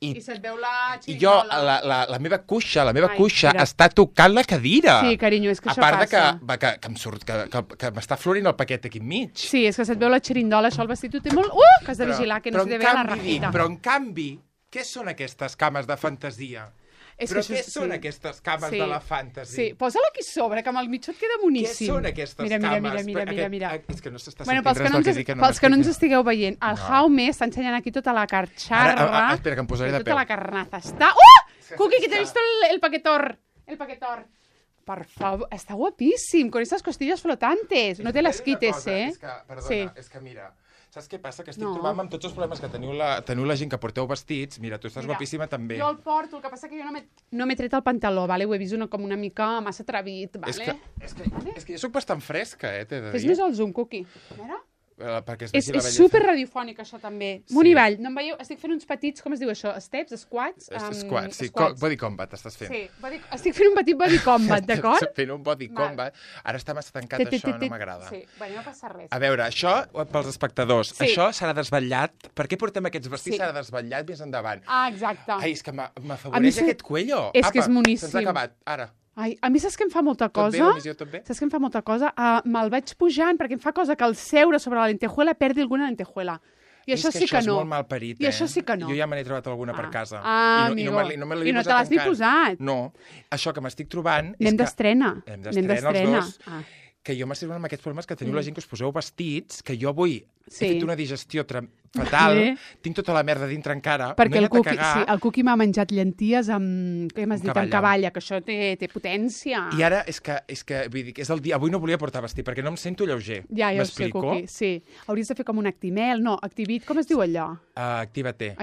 I se't veu la I jo, xeringola. la meva cuixa està tocant la cadira. Sí, carinyo, és que això passa. A passa. part que em surt, que m'està florint el paquet aquí enmig. Sí, és que se't veu la xeringola, això el vestit ho té molt... que has de vigilar, que no se te vea la rajita. Però en canvi, què són aquestes cames de fantasia? Però què són aquestes cames de la fantasy? Sí, posa-la aquí sobre, que amb el mitjó et queda boníssim. Què són aquestes cames? Mira. És que no s'està Bueno, sentint res del que dic. pels que no ens estigueu veient, el Jaume està ensenyant aquí tota la carxarra. Espera, que em posaré de peu. Tota la carnaza està... Cuqui, que t'he vist el paquetor. El paquetor. Per favor, està guapíssim, con estas costillas flotantes. No te las quites, Perdona, és que mira... Saps què passa? Que estic trobant amb tots els problemes que teniu la gent que porteu vestits. Mira, tu estàs guapíssima també. Jo el porto, el que passa que jo no m'he tret el pantaló, vale? Ho he vist com una mica massa atrevit, vale? És que jo soc bastant fresca, t'he de dir. Fes més el zoom, Cuqui. A veure... És super radiofònic, això, també. Munt i avall. No em veieu? Estic fent uns petits, com es diu això? Steps? Squats? Squats, sí. Body combat estàs fent. Sí, estic fent un petit body combat, d'acord? Estic fent un body combat. Ara està massa tancat, això no m'agrada. Sí, no passa res. A veure, això pels espectadors. Això serà desvetllat. Per què portem aquests vestits? Serà desvetllat més endavant. Ah, exacte. Ai, és que m'afavoreix aquest cuello. És que és moníssim. Se'ns ha acabat, ara. Ai, a mi saps que em fa molta cosa? Tot bé? Saps que em fa molta cosa? Me'l vaig pujant perquè em fa cosa que al seure sobre la lentejuela perdi alguna lentejuela. I això sí que no. És molt mal parit, I això sí que no. Jo ja me n'he trobat alguna per casa. Amigo. I no me l'he posat encara. I no te l'has ni posat? No. Això que m'estic trobant... Anem d'estrena. Anem d'estrena els dos. Que jo m'estic trobant amb aquests problemes que teniu la gent que us poseu vestits, que jo avui he fet una digestió fatal, tinc tota la merda dintre encara, perquè no he anat a cagar. El Cuqui m'ha menjat llenties amb, què m'has dit, amb cavalla, que això té potència. I ara és que vull dir, és el dia, avui no volia portar vestit, perquè no em sento lleuger. Ja ho sé, Cuqui, sí. Hauries de fer com un Actimel, no, Activit, com es diu allò? Actívate.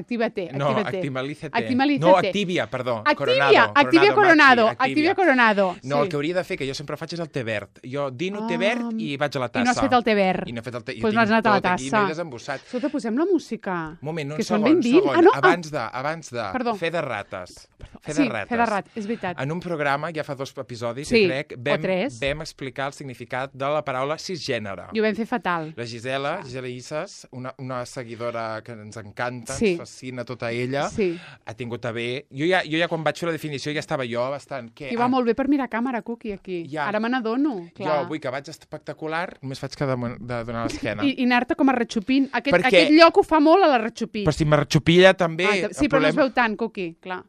No, Actimalízate. No, Activia, perdó. Activia Coronado. No, el que hauria de fer, que jo sempre faig, és el té verd. Jo dino té verd i vaig a la tassa. I no has fet el té verd. I no he fet el té. Doncs no has anat a la tassa. I m'he desembossat. Escolta, posem la música. Un moment, un segon. Abans de fer de rates. Fer de rat, és veritat. En un programa, ja fa 2 episodis, crec, vam explicar el significat de la paraula cisgènere. I ho vam fer fatal. La Gisela Isas, una seguidora que ens encanta, ens fascina tota ella, ha tingut a bé. Jo ja quan vaig fer la definició ja estava jo bastant... I va molt bé per mirar càmera, Cuqui, aquí. Ara me n'adono. Jo avui que vaig espectacular, només faig que de donar l'esquena. I anar-te com a ratxopint. Aquest lloc ho fa molt a la ratxopí. Però si me ratxopilla també... Sí, però no es veu tant, Cuqui, clar.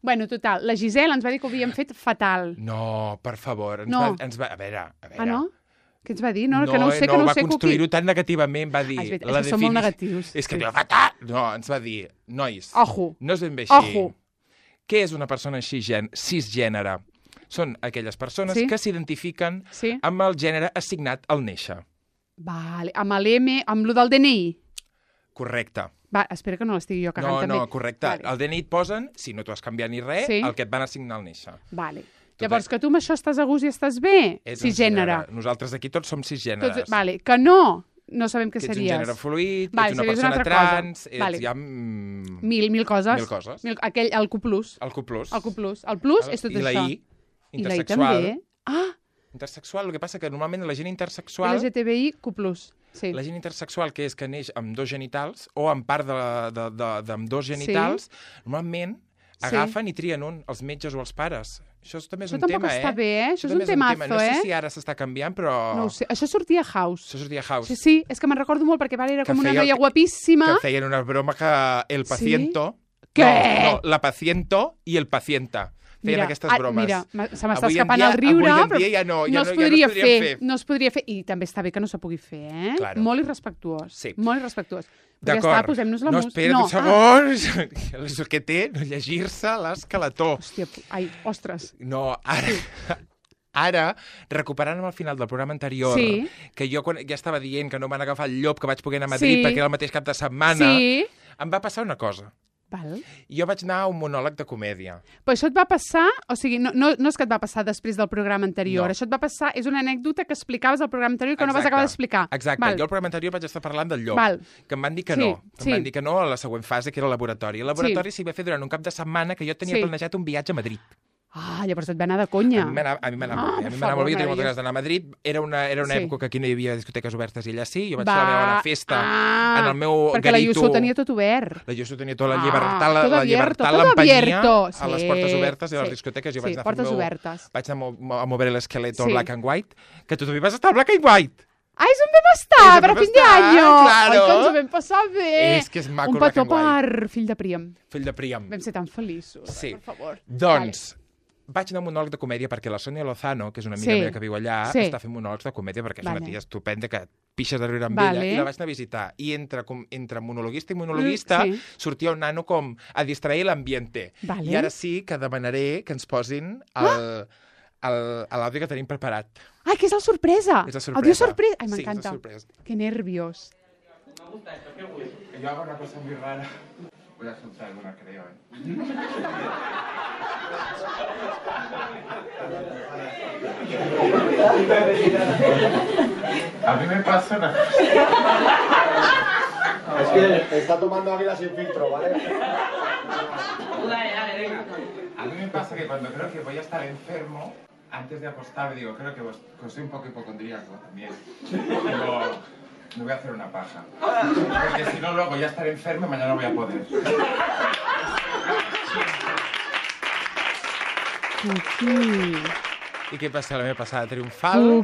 Bueno, total, la Gisela ens va dir que ho havíem fet fatal. No, per favor. A veure. Ah, no? Què ens va dir? No, que no ho sé, que no ho sé, Cuqui. No, va construir-ho tan negativament, va dir... És que som molt negatius. És que fatal! No, ens va dir, nois, ojo, no és ben bé així. Ojo. Què és una persona cisgènere? Són aquelles persones que s'identifiquen amb el gènere assignat al néixer. Vale, amb l'M, amb lo del DNI. Correcte. Va, espera que no l'estigui jo cagant també. No, correcte. Vale. El DNI et posen, si no t'ho has canviat ni res, el que et van assignar al néixer. Vale. Llavors, que tu amb això estàs a gust i estàs bé? Cisgènere. Nosaltres aquí tots som cisgèneres. Vale, que no sabem què series. Ets un gènere fluid, ets una persona trans, hi ha... Mil coses. El Q+. El Q+. El plus és tot això. I la I, intersexual. Intersexual, el que passa que normalment la gent intersexual... LGTBI, Q+. Sí. La gent intersexual, que és que neix amb 2 genitals, o amb part d'amb 2 genitals, normalment agafen i trien un, els metges o els pares. Això també és un tema, tampoc està bé, Això és un temazo, No sé si ara s'està canviant, però... No ho sé. Això sortia a House. Sí, és que me'n recordo molt, perquè era com una noia guapíssima. Que feien una broma que el paciento... Què? No, la paciento i el pacienta. Feien aquestes bromes. Mira, se m'està escapant el riure, però no es podria fer. No es podria fer. I també està bé que no se pugui fer, Claro. Molt irrespectuós. Sí. Molt irrespectuós. D'acord. Posem-nos la música. Espera't un segon. El que té, no llegir-se l'escalató. Hòstia, ostres. No, ara, recuperant amb el final del programa anterior, que jo ja estava dient que no van agafar el llop, que vaig poder anar a Madrid perquè era el mateix cap de setmana, em va passar una cosa. Val. Jo vaig anar a un monòleg de comèdia. Però això et va passar, o sigui, no és que et va passar després del programa anterior, això et va passar, és una anècdota que explicaves al programa anterior que no vas acabar d'explicar. Exacte, jo al programa anterior vaig estar parlant del llop, que em van dir que no, em van dir que no a la següent fase, que era el laboratori. El laboratori s'hi va fer durant un cap de setmana que jo tenia planejat un viatge a Madrid. Ah, llavors et va anar de conya. A mi m'anava molt bé, jo tenia moltes ganes d'anar a Madrid. Era una època que aquí no hi havia discoteques obertes i allà sí. Jo vaig fer la meva festa en el meu garito. Perquè la Yusu tenia tot obert. La Yusu tenia tota la llibertat, l'empanyia a les portes obertes i a les discoteques. Jo vaig anar a mover l'esqueleto black and white, que tu també vas estar al black and white. ¡Ay, es un vam estar per a fin d'año! Claro. Ai, que ens ho vam passar bé! És que és maco un petó per fill de Príam. Fill de Príam. Vam ser tan feliços, sí. Per favor. Doncs, vaig anar a un monòleg de comèdia perquè la Sònia Lozano, que és una amiga meva que viu allà, està fent monòlegs de comèdia perquè és una tia estupenda que pixes de riure amb ella, i la vaig anar a visitar. I entre monologuista i monologuista sortia un nano com a distrair l'ambiente. I ara sí que demanaré que ens posin l'àudio que tenim preparat. Ai, que és la sorpresa! És la sorpresa. Audio sorpresa! Ai, sí, m'encanta. Que nervios. Yo hago una cosa muy rara. Voy a soltar alguna, creo, A mí me pasa una cosa. Es que está tomando águila sin filtro, ¿vale? A mí me pasa que cuando creo que voy a estar enfermo, antes de acostarme digo, creo que soy un poco hipocondríaco también. Digo, me voy a hacer una paja. Porque si no, luego ya estaré enfermo y mañana no voy a poder. I què passa? La meva passada triomfal?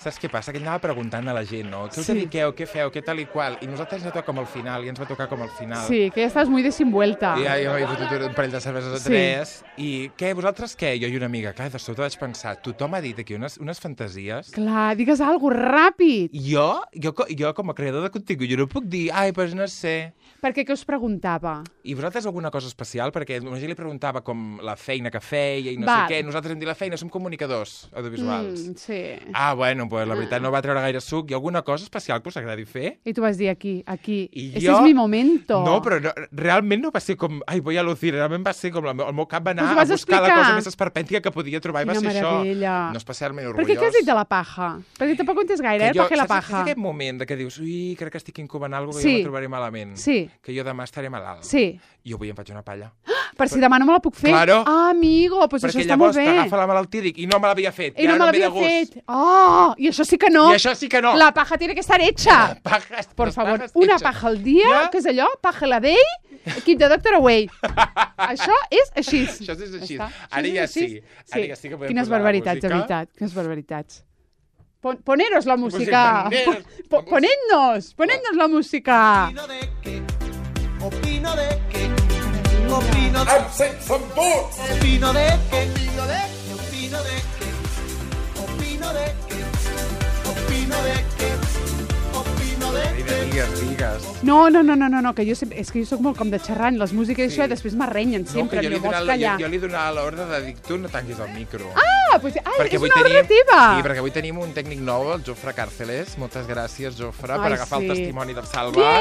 Saps què passa? Que anava preguntant a la gent, no? Què us dediqueu? Què feu? Què tal i qual? I nosaltres ens va tocar com al final, i ens va tocar com al final. Sí, que ja estàs muy desenvuelta. I jo m'he fotut un parell de cerveses o tres. I què? Vosaltres què? Jo i una amiga. Clar, de sobte vaig pensar, tothom ha dit aquí unes fantasies. Clar, digues alguna cosa ràpid. Jo com a creador de contingut, jo no puc dir, ai, doncs no sé. Perquè què us preguntava? I vosaltres alguna cosa especial? Perquè la gent li preguntava com la feina que feia i no sé què. Nosaltres hem dit la feina, som comunicadors audiovisuals. Sí. Ah, bueno, pues la veritat no va treure gaire suc. Hi ha alguna cosa especial que us agradi fer? I tu vas dir aquí. Ese es mi momento. No, però realment no va ser com, ai, voy a lucir. Realment va ser com, el meu cap va anar a buscar la cosa més esperpèntica que podia trobar i va ser això. No especialment orgullós. Per què has dit de la paja? Perquè tampoc ho entens gaire, per què la paja? Saps aquest moment que dius, ui, crec que estic incubant alguna cosa que jo me trobaré malament. Sí. Que jo demà estaré malalt. Sí. I avui em faig una palla. Per si demà no me la puc fer? Claro. Ah, amigo, doncs això està molt bé. Perquè llavors t'agafa la malaltia i dic, i no me l'havia fet. I no me l'havia fet. Oh, i això sí que no. I això sí que no. La paja tiene que estar hecha. Por favor, una paja al dia, que és allò? Paja la day, keep the doctor away. Això és així. Això és així. Ara ja sí. Ara ja sí que podem Quines barbaritats, de veritat. Quines barbaritats. Poneros la música. Ponednos la música. Opino de que opino de opino de que opino de que opino de que opino de que opino de que digues. No, que jo sempre, és que jo soc molt com de xerrant les músiques i això, i després m'arrenyen sempre, no vols callar. Jo li donava l'ordre de dir, tu no tanquis el micro. Ah, doncs és una ordre teva. Sí, perquè avui tenim un tècnic nou, el Jofre Càrceles. Moltes gràcies, Jofre, per agafar el testimoni del Salva.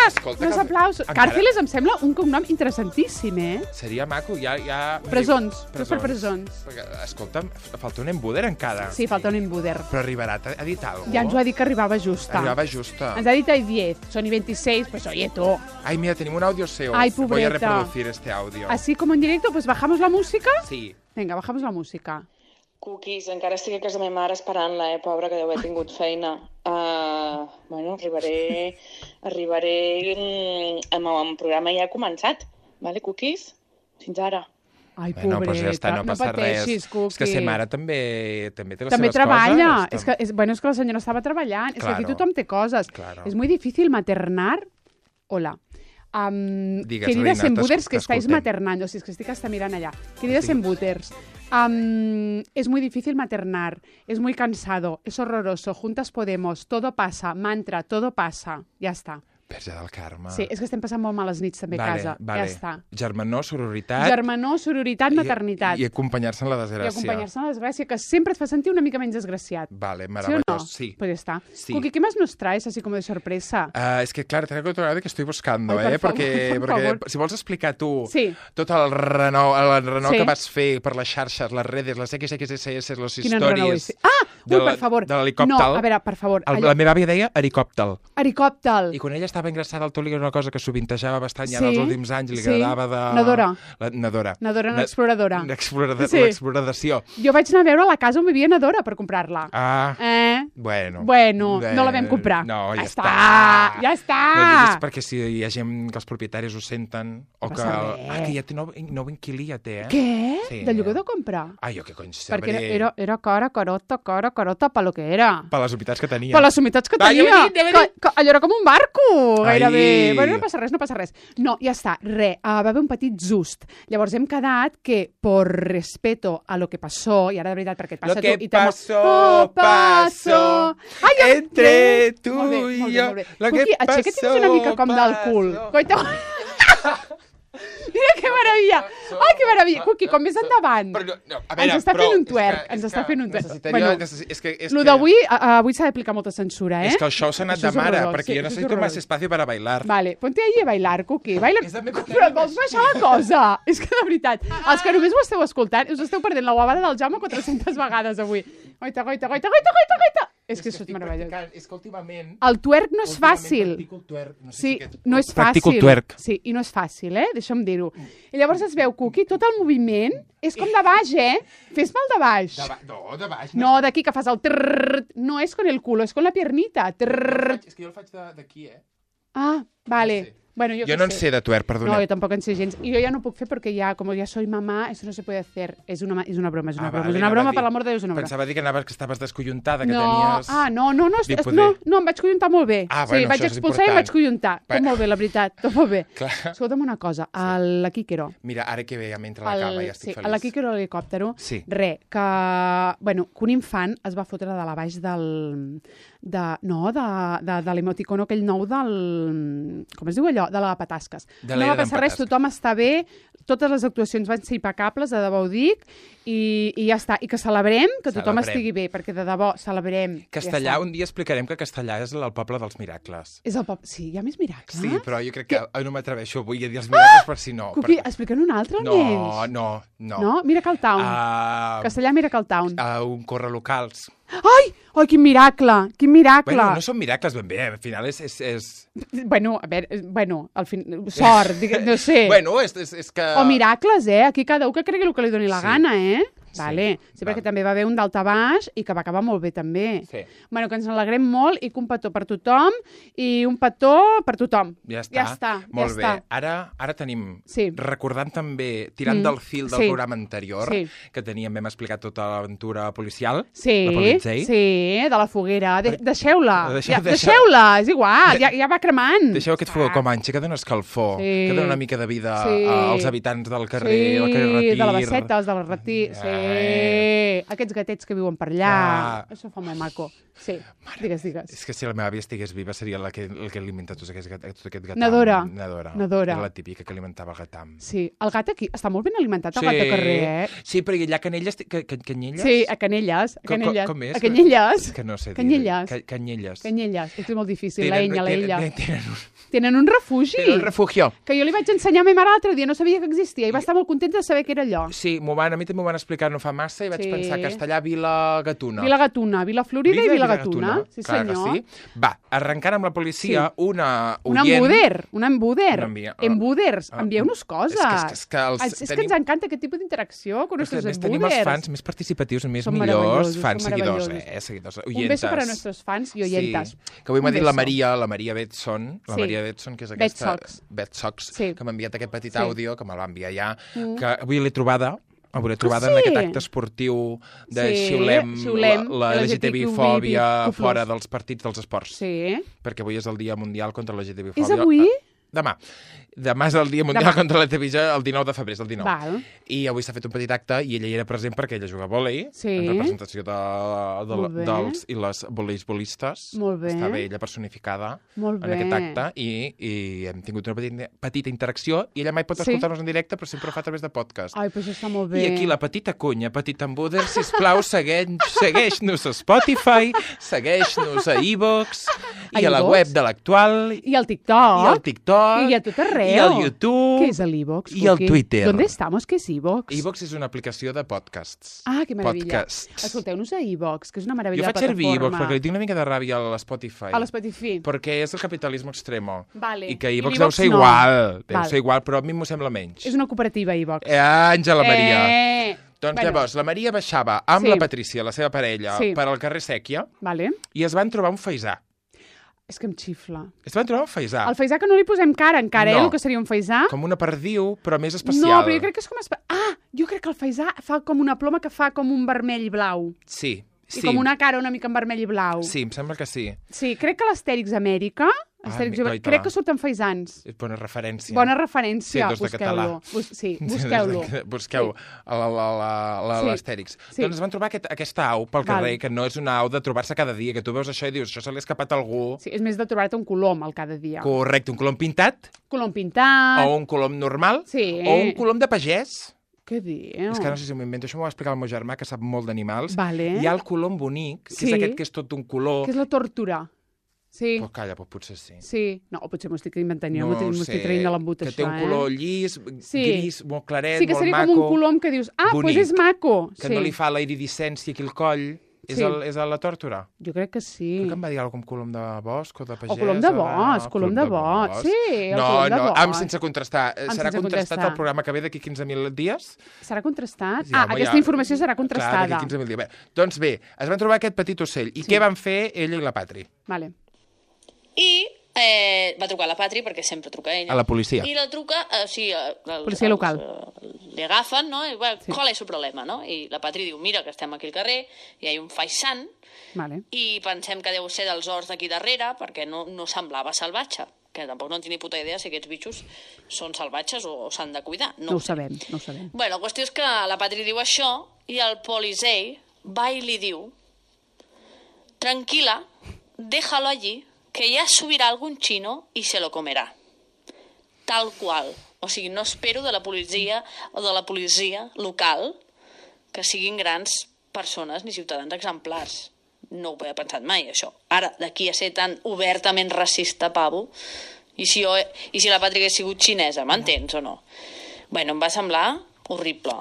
Escolta, uns aplausos. Càrceles em sembla un cognom interessantíssim, Seria maco, ja... Presons, per presons. Escolta, falta un embuder encara. Sí, falta un embuder. Però arribarà, ha dit alguna cosa? Ja ens ho ha dit que arribava justa. Ens ha dit a 10, son y 26, pues oye, tú. Ay, mira, tenemos un audio seu. Ay, pobreta. Voy a reproducir este audio. Así como en directo, pues bajamos la música. Sí. Venga, bajamos la música. Cookies, encara estic a casa meva mare esperant-la, pobra, que deu haver tingut feina. Bueno, arribaré amb el programa ja ha començat, vale, Cookies? Fins ara. Ai, pobreta, doncs ja està, no passa pateixis, Cookies. És que ser mare també té les seves també treballa. coses. És que la senyora estava treballant. Claro. És que aquí tothom té coses. Claro. És muy difícil maternar. Hola. Digues, queridas Reina, embuters que estáis maternando, si es que estic hasta mirant allà. Queridas embuters, es muy difícil maternar, es muy cansado, es horroroso, juntas podemos, todo pasa, mantra, todo pasa, ya está. Verge del Carme. Sí, és que estem passant molt males nits també a casa. Vale. Ja està. Germanor, sororitat... Germanor, sororitat, maternitat. I acompanyar-se en la desgràcia. I acompanyar-se en la desgràcia, que sempre et fa sentir una mica menys desgraciat. Vale, meravellós, ¿Sí o no? Pues ya está. Sí. Cookie, ¿qué más nos traes así como de sorpresa? Es que, claro, traigo otro audio que estoy buscando, Ai, porque si vols explicar tu tot el renou sí. que vas fer per les xarxes, les redes, les XXSS, les Quin històries... Ui, per favor. De l'helicòpter. No, a veure, per favor. La meva àvia deia helicòpter. Helicòpter. I quan ella estava ingressada al tot, era una cosa que sovintejava bastant ja en els últims anys, li agradava de... Nadora, l'exploradora. L'exploració. Jo vaig anar a veure la casa on vivia Nadora per comprar-la. Bueno, no la vam comprar. No, ja està. Ja està. No diguis perquè si hi ha gent que els propietaris ho senten o que... que ja té nou inquilí, ja té, Què? Sí. De lloguer o de comprar? Jo què cony sabré. Perquè era carota pa lo que era. Per les humitats que tenia. Per les humitats que tenia. Allò era com un barco, gairebé. Bueno, no passa res. No, ja està, va haver un petit just. Llavors hem quedat que, por respeto a lo que passó, i ara de veritat, perquè et passa tu... Lo que pasó entre tu i jo. Lo que pasó, aixeca't una mica com del cul. Coita... Mira que meravella! Ai, que meravella! Cuqui, com més endavant. Ens està fent un twerk. Lo d'avui s'ha d'aplicar molta censura, És que el show s'ha anat de mare, perquè jo necessito más espacio para bailar. Vale, ponte ahí a bailar, Cuqui. Però vols baixar la cosa? És que de veritat, els que només ho esteu escoltant, us esteu perdent la guavada del Jaume 400 vegades avui. Goita. És que això és meravellós. És que últimament... El twerk no és fàcil. Sí, no és fàcil. Practico el twerk. Sí, i no és fàcil, deixa'm dir-ho. I llavors es veu, Cuqui, tot el moviment és com de baix, Fes-me el de baix. No, de baix. No, d'aquí que fas el trrrr. No és con el culo, és con la piernita. És que jo el faig d'aquí, Ah, vale. Bueno, yo no en sé de twerk, perdona. No, yo tampoco en sé gens. Y yo ya no puedo hacer porque ya, como ya soy mamá, eso no se puede hacer. Es una broma, es una broma. Es una broma, per l'amor de Déu, és una broma. Pensava dir que estaves descollontada, que tenies... No, em vaig collontar molt bé. Bueno, vaig expulsar i em vaig collontar. Tot molt bé, la veritat, tot molt bé. Escolta'm una cosa, a la Quíquero... Mira, ara que ve, ja m'entra la cama, ja estic feliç. A la Quíquero a l'helicòptero, que un infant es va fotre de la baix de l'emoticono aquell nou del... Com es diu allò? De la Patasques. No va passar res, tothom està bé, totes les actuacions van ser impecables, de debò ho dic, i ja està. I que celebrem que tothom estigui bé, perquè de debò celebrem. Castellà, un dia explicarem que Castellà és el poble dels miracles. És el poble... Sí, hi ha més miracles? Sí, però jo crec que no m'atreveixo avui a dir els miracles per si no. Cuqui, explica'n un altre, almenys. No. No? Miracle Town. Castellà, Miracle Town. Un corre locals. Ai, quin miracle, quin miracle. Bueno, no són miracles ben bé, al final és... Bueno, a veure, al final, sort, no sé. Bueno, és que... O miracles, aquí cada un que cregui el que li doni la gana, Vale. Sí, perquè també va haver un daltabaix i que va acabar molt bé, també. Sí. Bueno, que ens alegrem molt i que un petó per tothom i un petó per tothom. Ja està. Molt bé. Ara tenim, recordant també, tirant del fil del programa anterior, que teníem, vam explicar tota l'aventura policial. Sí, de la foguera. Deixeu-la. Deixeu-la, és igual, ja va cremant. Deixeu aquest fogó com anxa, que dona escalfor, que dona una mica de vida als habitants del carrer, del carrer Retir. Sí, de la Basseta, els del Retir, aquests gatets que viuen per allà. Això fa molt maco. Sí, digues. És que si la meva àvia estigués viva seria el que alimenta tot aquest gatam. Nadora. Era la típica que alimentava el gatam. Sí, el gat aquí està molt ben alimentat, el gat de carrer, Sí, però allà a Canelles... Canyelles? Sí, a Canelles. Com és? A Canyelles. Que no sé dir. Canyelles. Canyelles. És molt difícil, la ella. Tenen un refugi. Tenen un refugio. Que jo li vaig ensenyar a ma mare l'altre dia, no sabia que existia, i va estar molt contenta de saber que era allò. Sí, a mi també m'ho van explicar no fa massa i vaig pensar Castellà, Vila Gatuna. Vila Florida i Vila Gatuna. Sí, senyor. Sí. Va, arrencant amb la policia, una oient... Un embuder. Embuders. Envieu-nos coses. És que ens encanta aquest tipus d'interacció amb els nostres embuders. Tenim els fans més participatius, més millors, fans seguidors, seguidors, oientes. Un beso para nuestros fans i oyentas. Que avui m'ha dit la Maria Betson, que és aquesta... Betsox, que m'ha enviat aquest petit àudio, que me l'ha enviat ja, que avui l'he trobada en aquest acte esportiu de xiulem la LGTB-fòbia fora dels partits dels esports. Sí. Perquè avui és el Dia Mundial contra la LGTB-fòbia. És avui? Demà és el Dia Mundial contra la televisió, el 19 de febrer, és el 19. Val. I avui s'ha fet un petit acte i ella hi era present perquè ella juga a vòlei, en representació dels i les voleisbolistes. Molt bé. Estava ella personificada en aquest acte i hem tingut una petita interacció i ella mai pot escoltar-nos en directe, però sempre ho fa a través de podcast. Ai, però això està molt bé. I aquí la petita cunya, petit embuder, sisplau, segueix-nos a Spotify, segueix-nos a iVoox i a la web de l'Actual. I al TikTok. I a tot arreu. arreu. I el YouTube. ¿Qué es el iVoox? I el Twitter. ¿Dónde estamos? ¿Qué és iVoox? iVoox és una aplicació de podcasts. Ah, que meravella. Podcasts. Escolteu-nos a iVoox, que és una meravella Jo de faig servir plataforma. iVoox perquè li tinc una mica de ràbia a l'Spotify. A l'Spotify. Perquè és el capitalisme extremo. Vale. I que I iVoox l'iVoox deu ser no. igual. Deu Val. ser igual, però a mi m'ho sembla menys. És una cooperativa, iVoox. Àngela Maria. Doncs Bueno. llavors, la Maria baixava amb Sí. la Patrícia, la seva parella, Sí. per al carrer Sèquia Vale. i es van trobar un faisà. És que em xifla. Es van trobar un faisà. El faisà que no li posem cara encara, No. el que seria un faisà. Com una perdiu, però més especial. No, però jo crec que és com... Jo crec que el faisà fa com una ploma que fa com un vermell i blau. Sí, I com una cara una mica en vermell i blau. Sí, em sembla que sí. Sí, crec que l'Astèrix Amèrica... Goita. Crec que surten faisans. És bona referència. Bona referència. Sí, dos de català. Sí, busqueu-lo. Busqueu l'Astèrix. Sí. Doncs es van trobar aquesta au pel carrer, que no és una au de trobar-se cada dia, que tu veus això i dius, això se li ha escapat a algú. Sí, és més de trobar-te un colom al cada dia. Correcte, un colom pintat. Colom pintat. O un colom normal. Sí. O un colom de pagès. Què diu? És que no sé si m'ho invento, això m'ho va explicar el meu germà, que sap molt d'animals. Vale. Hi ha el colom bonic, que és aquest que és tot d'un color... Que és la tortura. Sí. Però calla, però potser sí. Sí. No, o potser m'ho estic inventant, jo No m'ho ho estic sé, traient de l'embut, que això, té un color llis, gris, molt claret, sí, que molt seria maco. com un colom que dius, doncs és maco. Que no li fa la iridescència aquí al coll. És la tòrtora? Jo crec que sí. Crec que em va dir alguna cosa com colom de bosc o de pagès. O colom de bosc, colom de bosc. Sí, el colom de bosc. Sense contrastar. Serà contrastat el programa que ve d'aquí 15.000 dies? Serà contrastat? Sí, home, aquesta informació serà contrastada. Clar, d'aquí 15.000 dies. Doncs bé, es van trobar aquest petit ocell. I què van fer ella i la Patri? Vale. I va trucar a la Patri, perquè sempre truca ella. A la policia. I la truca, policia local. Li agafen, no? I, bueno, ¿cuál es su problema, no? I la Patri diu, mira, que estem aquí al carrer, i hi ha un faisant, Vale. i pensem que deu ser dels horts d'aquí darrere, perquè no semblava salvatge, que tampoc no en tinc ni puta idea si aquests bitxos són salvatges o s'han de cuidar. No ho sabem, no ho sabem. Bueno, la qüestió és que la Patri diu això, i el polisei va i li diu, tranquila, déjalo allí, que ya subirá algún chino y se lo comerá. Tal qual. O sigui, no espero de la policia o de la policia local que siguin grans persones ni ciutadans exemplars. No ho he pensat mai, això. Ara, d'aquí a ser tan obertament racista, pavo, i si la Patri hagués sigut xinesa, m'entens o no? Bueno, em va semblar horrible.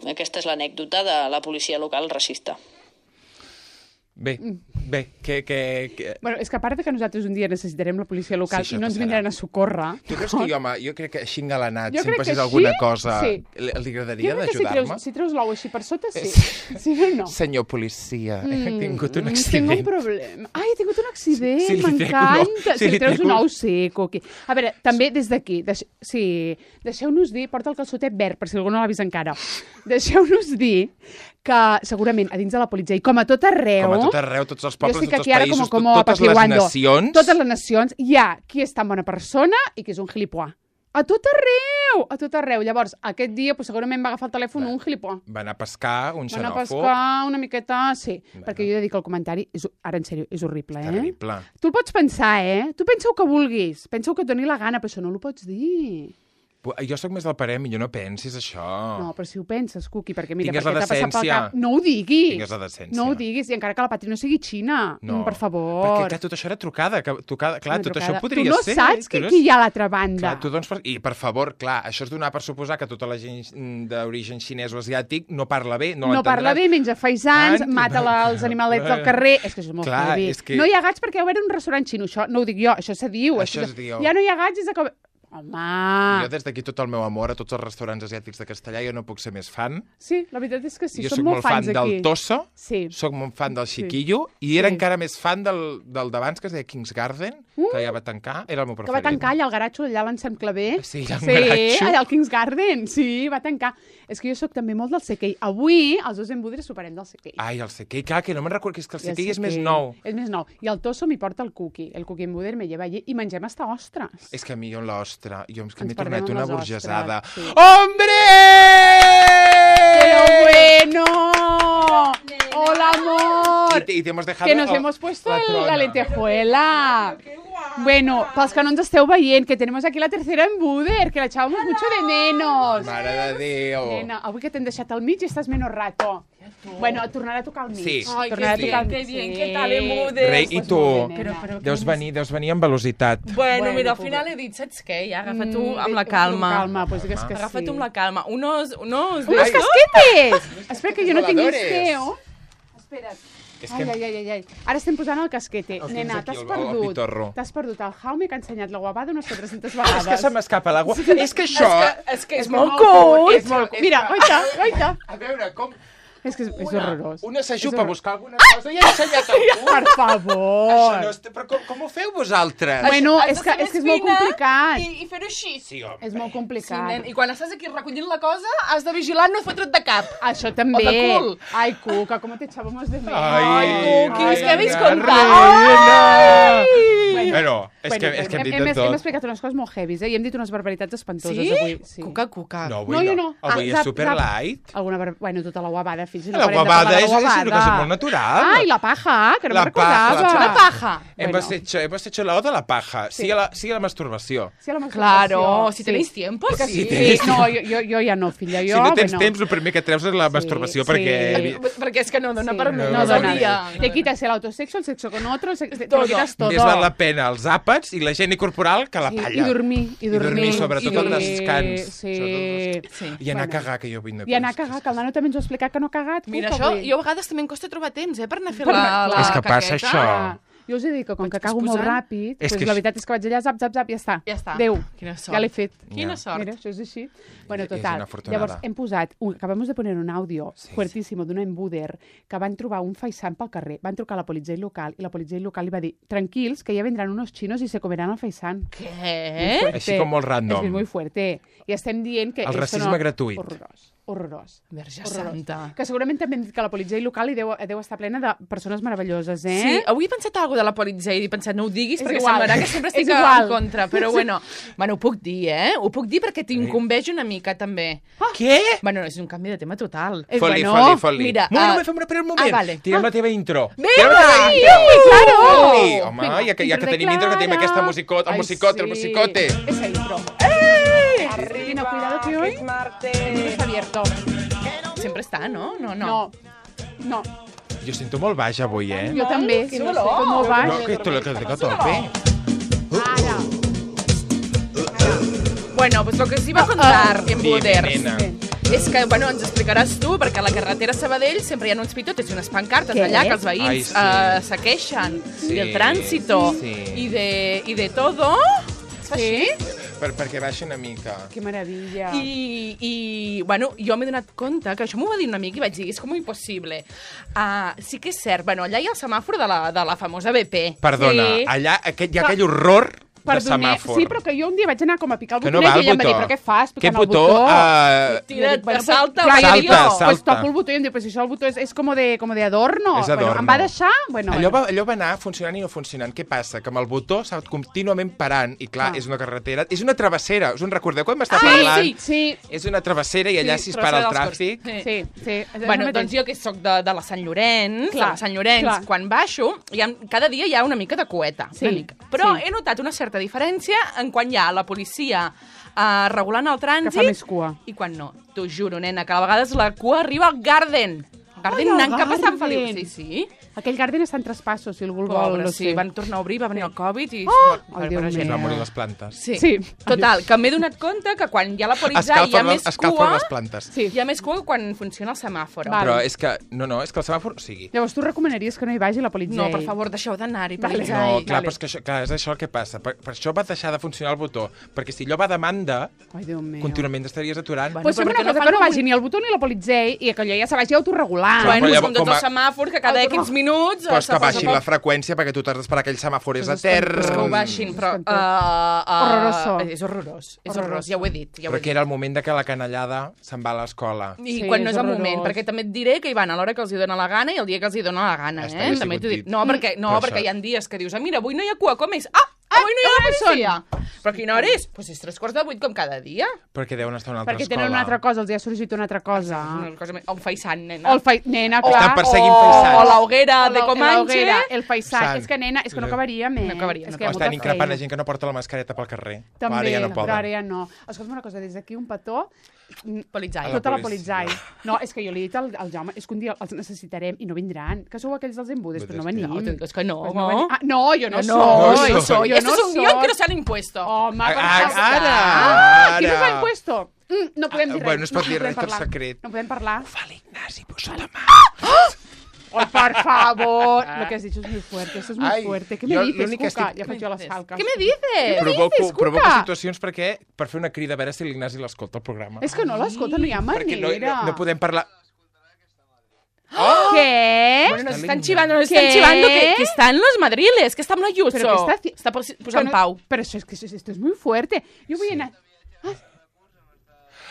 Aquesta és l'anècdota de la policia local racista. Bé, Bueno, és que a part de que nosaltres un dia necessitarem la policia local Sí, i no ens vindran a socórrer... Tu creus que jo crec que així engalanat, si em crec que passés així, alguna cosa, sí. li agradaria Jo crec que d'ajudar-me? si treus l'ou així per sota, sí. Sí o no? Senyor policia, he tingut un accident. Tinc un problema. Ai, he tingut un accident, Sí, li trec un m'encanta. ou. Sí, Si li li treus trec un un- ou seco. Aquí. A veure, també des d'aquí, deixeu-nos dir, porta el calçotet verd, per si algú no l'ha vist encara, deixeu-nos dir que segurament a dins de la policia, i com a tot arreu... Com a tot arreu, tots els pobles, tots els països, totes les nacions... Totes les nacions, hi ha qui és tan bona persona i qui és un gilipoà. A tot arreu! A tot arreu. Llavors, aquest dia segurament va agafar el telèfon un gilipoà. Va anar a pescar, un Van a xenòfob... pescar una miqueta... Sí, perquè jo he de dir que el comentari, ara en sèrio, és horrible, Terrible. Tu el pots pensar, Tu pensa el que vulguis, pensa el que et doni la gana, però això no ho pots dir. Jo sóc més del parer, millor no pensis això. No, però si ho penses, Cuqui, perquè mira, Tingues perquè la t'ha passat pel decència. cap... No ho diguis! Tingues la decència. No ho diguis, i encara que la Patri no sigui xina. No, Per favor. Perquè clar, tot això era trucada. Clar, tot això podria tu no ser... saps qui hi ha a l'altra banda. Clar, tu doncs, I, per favor, clar, això és donar per suposar que tota la gent d'origen xinès o asiàtic no parla bé, no No parla bé, menja faisans, mata els animalets del carrer... És que això és molt Clar, heavy. és que- No hi ha gats perquè hi ha un restaurant xino. Això no ho dic jo, això se diu. Això es diu. Ja no hi ha gats des de que... Home... Jo des d'aquí tot el meu amor a tots els restaurants asiàtics de Castellà, jo no puc ser més fan. Sí, la veritat és que sí, Jo som soc molt fan fans aquí. del Tosso, Sí. soc molt fan del Chiquillo, i era Sí. encara més fan del d'abans, que es deia King's Garden, que ja va tancar, era el meu Que preferit. va tancar allà al garatxo, allà a l'Ensem Clavé. Sí, allà al garatxo. allà al King's Garden. Sí, va tancar. És que jo sóc també molt del CK. Avui, els dos embudres superem del CK. Ai, el CK, clar, que no me'n recordo, que és que el I el CK és més CK nou. És més nou. I el Tosso m'hi porta el Cookie. El Cookie embuder me lleva allí i mengem hasta ostres. És que a mi, l'ostre, jo és que m'he Ens perdem tornat amb una les burgesada. ostres, sí. ¡Hombre! ¡Pero bueno! ¡Hola, amor! Y te hemos dejado Que nos hemos puesto la lentejuela. Bueno, pels que no ens esteu veient, que tenemos aquí la tercera en Buder, que la echábamos mucho de menos. Mare de Déu. Nena, avui que t'hem deixat al mig i estàs menos rato. Bueno, tornarà a tocar al mig. Sí. Ai, Tornarà a tocar al que mig. bien, ¿qué tal, Buder? Rei, i tu? Però Deus venir amb velocitat. Bueno, mira, al pobre. final he dit, saps què? Ja, agafa tu amb la calma. Amb calma, pues digues que sí. Agafa tu amb la calma. Unos ¡Unos casquetes! Espera, que jo no tinc Voladores. listeo. Espera't. És que... Ai. Ara estem posant el casquete. El Nena, tens aquí, t'has el perdut. pitorro. T'has perdut el Jaume, que ha ensenyat la guavada unes 400 És vegades. que se m'escapa l'aigua. És que això... És que és molt cool. És molt cool. Mira, oita. A veure, com... És que és horrorós. Una s'ajupa a buscar alguna cosa i ha ensenyat el cul. Per favor. Això no és... Però com ho feu vosaltres? Bueno, Has és de que ser és més molt fina complicat. I fer-ho així. Sí, home. És molt Sí, complicat. nen. I quan estàs aquí recollint la cosa, has de vigilar no fotre't de cap. Això també. O de cul. Ai, Cuca, com te echábamos de menos. Ai, Cuquis, què habéis reina. contat? Bueno, és que hem dit de Hem tot. explicat unes coses molt heavies, i hem dit unes barbaritats espantoses Sí? avui. Sí. Cuca. No, avui No, jo no. no. Avui és super light. Bueno, tota la guavada, fins i tot La parem de guavada parlar de és una cosa molt natural. Ai, la paja, que no La me'n recordava. paja. Una paja. Hemos hecho la oda a la paja. Sí a la masturbació. Sí, a la masturbació. Claro, si Sí. tenéis tiempo, Sí, sí. tenéis No, jo ja no, filla. Si Jo, no tens bueno. temps, el primer que treus és la masturbació, sí. perquè... Perquè és que no dona Sí. per No més. No dona. dona. dia. Le quitas el autosexo, el sexo con otro, te Todo. lo quitas todo. Més val la pena els àpats i la higiene corporal que la palla. I dormir. I dormir, sobretot el descans. Sí. Sí. I anar a Bueno. cagar, que jo vull no I anar a cagar, que el nano també ens ho ha explicat que no ha cagat. Mira, Cuca, això, avui. jo a vegades també em costa trobar temps, per anar a fer Per la anar- És que passa caqueta. això. Jo us he dit que com que Vaig cago molt posant. ràpid, És pues que la això- veritat és que vaig allà, zap, i ja està. Ja està. Adéu. Quina sort. Ja l'he fet. Quina Ja. sort. Mira, això és així. Bueno, És total. una afortunada. Llavors, hem posat, acabamos de poner un àudio fuertísimo d'una embuder que van trobar un faisán pel carrer. Van trucar a la policia local i la policia local li va dir tranquils, que ja vendran unos chinos y se comerán al faisán. Què? Així com molt random. És que és muy fuerte. I estem dient que... El esto racisme no... gratuït. Horrorós. Verge Horrorós. santa. Que segurament també hem dit que la policia local hi deu estar plena de persones meravelloses, eh? Sí, avui he pensat alguna de la policia i he pensat, no ho diguis És perquè igual. semblarà que sempre És estic igual. en contra, però bueno, ho puc dir, eh? Ho puc dir perquè t'incumbeix una mica, també. Què? Bueno, és un canvi de tema total. Foli. Mira, Moment, fem un moment. vale. Tirem la teva intro. Vinga! Tirem la teva intro. claro! Foli. Home, Vinga, ja que intro de tenim intro, que tenim Clara. aquesta musicota, el Ai, musicote, el sí. musicote. Esa intro. Cristina, cuidado que hoy está abierto. Sempre està, no? No. Jo sento molt baix avui, eh? Jo també. que no no sé, sé. com molt baix. No, que te lo tope. Ara. Bueno, pues lo que os iba a contar en Dime, Buders nena. és que, bueno, ens explicaràs tu, perquè a la carretera Sabadell sempre hi ha uns pitotes i unes pancartes Què? allà que els veïns Ai, sí. se queixen Sí. del trànsito Sí. i de todo. Sí? Perquè baixa una mica. Que meravella. I bueno, jo m'he donat compte que això m'ho va dir un amic i vaig dir, és com impossible. Sí que és cert, bueno, allà hi ha el semàfor de la famosa BP. Perdona, Sí. allà hi ha aquell horror de Perdoner. semàfor. Sí, però que jo un dia vaig anar com a picar el Que no botonet va i el ella em va dir, botó. però què fas Què picant el botó? botó? Tira't, Bueno, salta, clar, salta, jo dic, salta. Pues toco el botó i em diu, pues si això el botó és com de adorno. És Bueno, adorno. em va deixar... Bueno, Allò va anar funcionant i no funcionant. Què passa? Que amb el botó s'ha contínuament parant i clar, és una carretera, és una travessera. Us en recordeu quan m'està parlant? Sí. És una travessera i allà si es para el tràfic... Sí. Bueno, doncs jo que sóc de la Sant Llorenç, Clar, de la Sant Llorenç, clar. quan baixo, cada dia hi ha una mica de coeta, Sí, una mica. Però sí. he notat una certa diferència en quan hi ha la policia regulant el Que trànsit fa més cua. i quan no. T'ho juro, nena, que a vegades la cua arriba al Garden. Garden Ai, al anant cap a Sant Garden. Feliu. Sí. Aquell Garden està en traspassos, si algú el vol. Pobre, no sí, sé. van tornar a obrir, va venir el Covid i... Ai, Déu Es meu. van morir les plantes. Sí. Total, que m'he donat compte que quan hi ha la policia hi ha més Escalfen cua... les plantes. Sí. Hi ha més cua quan funciona el semàfor. Vale. Però és que... No, és que el semàfor... O sigui... Llavors, tu recomanaries que no hi vagi la policia? No, per favor, deixeu d'anar-hi. Vale. No, clar, però és que això, clar, és això el que passa. Per això va deixar de funcionar el botó. Perquè si allò va a demanda, Ai, Déu meu. contínuament estaries aturant. Bueno, Pues però fem per què una cosa, no que no fan vagi ni el botó ni la policia i que allò ja se vagi autorregulant. Bueno, però pues llavors, com tots com a- els semàfors, que cada X minuts... Pues que se baixin posa la freqüència perquè tu t'has d'esperar aquell semàfor és És etern. que ho baixin, però... Horroroso. És horrorós, és horrorós, Horroroso. ja ho he dit. Ja ho Però he que dit. era el moment de que la canallada se'n va a l'escola. I Sí, quan no és és el horrorós. moment, perquè també et diré que hi van a l'hora que els hi dona la gana i el dia que els hi dona la gana, Estaria També sigut t'ho dic. dit. No, perquè Per hi això. ha dies que dius, mira, avui no hi ha cua, com és? Ah, Avui no hi ha la policia. Però quina hora és? Doncs és 7:45 com cada dia. Perquè deuen estar a una altra Perquè escola. tenen una altra cosa, els hi ha sorgit una altra cosa. O un faisant, nena. O el nena, clar. Estan perseguint faisans. O la hoguera de Comanche. El faisant. És que, nena, és que no acabaríem, No acabaríem. És que hi ha Estan molta increpant feina. a gent que no porta la mascareta pel carrer. També, Ara ja no però poden. ara ja no. Escolta'm una cosa, des d'aquí un petó... Politzai. Tota la policia. politzai. No, és que jo li he dit al Jaume, és que un dia els necessitarem i no vindran. Que sou aquells dels embudes, però no venim. No, és que no. Pues no venim. Ah, no, jo no No, soy. no soy. Yo Esto no es un guión soy. que nos han impuesto. Home, per Ara, favor. ara. Qui nos l'ha impuesto? No podem dir res. Bueno, es pot dir podem res per parlar. secret. No podem parlar. Fa l'Ignasi, posa la mà. Ay, por favor. Lo que has dicho es muy fuerte. Esto es muy Ai, fuerte. ¿Qué jo me dices, l'únic que Cuca? estic- Ja faig jo les falques. Què me dices? Provoco situacions perquè per fer una crida a veure si l'Ignasi l'escolta el programa. És que no l'escolta, no hi ha Perquè manera. no podem parlar... ¿Qué? Bueno, nos Está están linda. chivando, nos ¿Qué? están chivando que están los madriles, que está amb l'Ayuso. Pero que está... Està posant pau. Pero eso es que esto es muy fuerte. Yo voy a...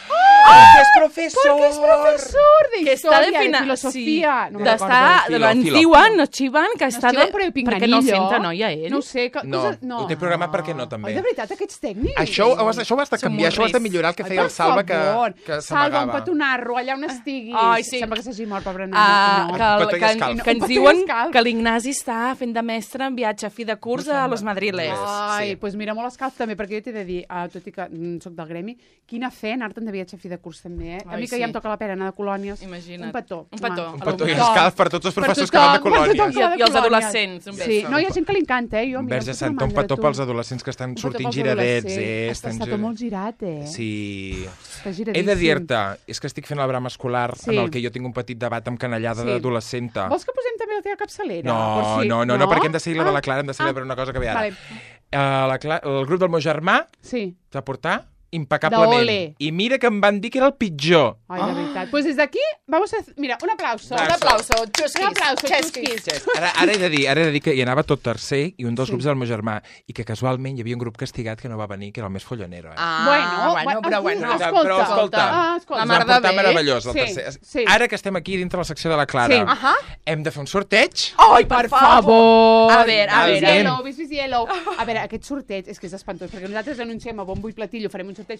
Que és professor! Porque es profesor de Que està historia, de fina- filosofia. Sí. No me'n Està, recordo. ens Filo. diuen, nos xiven, que està Xiven per el perquè no el pinganillo. senta, noia, ell. No ho sé. No, ho té programat perquè no, també. Oi, de veritat, aquests tècnics? Això ho has de Som canviar, això ho has de morris. millorar el que Ai, feia el per Salva favor. que Salva, un s'amagava. petonarro, allà on estiguis. Ai, sí. Sembla que s'hagi mort, pobre nena. Ah, Petó que, i que, escalf. que ens Petó i diuen escalf. que l'Ignasi està fent de mestre en viatge a fi de curs a los madriles. Ai, Sí. doncs pues mira, molt escalf també, perquè jo t'he de dir, tot i que soc del gremi, quina fe anar-te'n de viatge a fi de curs també, eh? A Ai, mi que sí. ja em toca la pera anar de colònies. Imagina't. Un petó. Un petó. Un petó i tothom. escalf per tots els Per professors que tothom, van de per tothom colònies. que va de I els colònies. adolescents, un Sí, beso. no, hi ha gent que li encanta, jo. Un vers de Santa, un petó pels adolescents que estan sortint giradets. Està tot molt girat, eh? Sí. Està He giradíssim. de dir-te, és que estic fent el bram escolar Sí. en el que jo tinc un petit debat amb canallada Sí. d'adolescenta. Vols que posem també la teva capçalera? No, Per si- no, perquè hem de seguir la de la Clara, hem de seguir per una cosa que ve ara. Vale. El grup del meu germà Sí. va portar impecablement. D'ole. I mira que em van dir que era el pitjor. Ay, de veritat. Pues desde aquí vamos a... Mira, un aplauso. Un aplauso, Un aplauso, xusquis. xusquis. Ara he de dir que hi anava tot tercer i un dels grups del meu germà i que casualment hi havia un grup castigat que no va venir, que era el més follonero. Però bueno. Però escolta, escolta. La ens mar van de portar bé. meravellós el Sí, tercer. sí. Ara que estem aquí dintre la secció de la Clara, Sí. Ahà. hem de fer un sorteig. Ai, per favor. A veure, Yellow, Bis Yellow. A veure, aquest sorteig és que és espantós, perquè nosaltres anunciem a bombo i platillo, farem un sorteig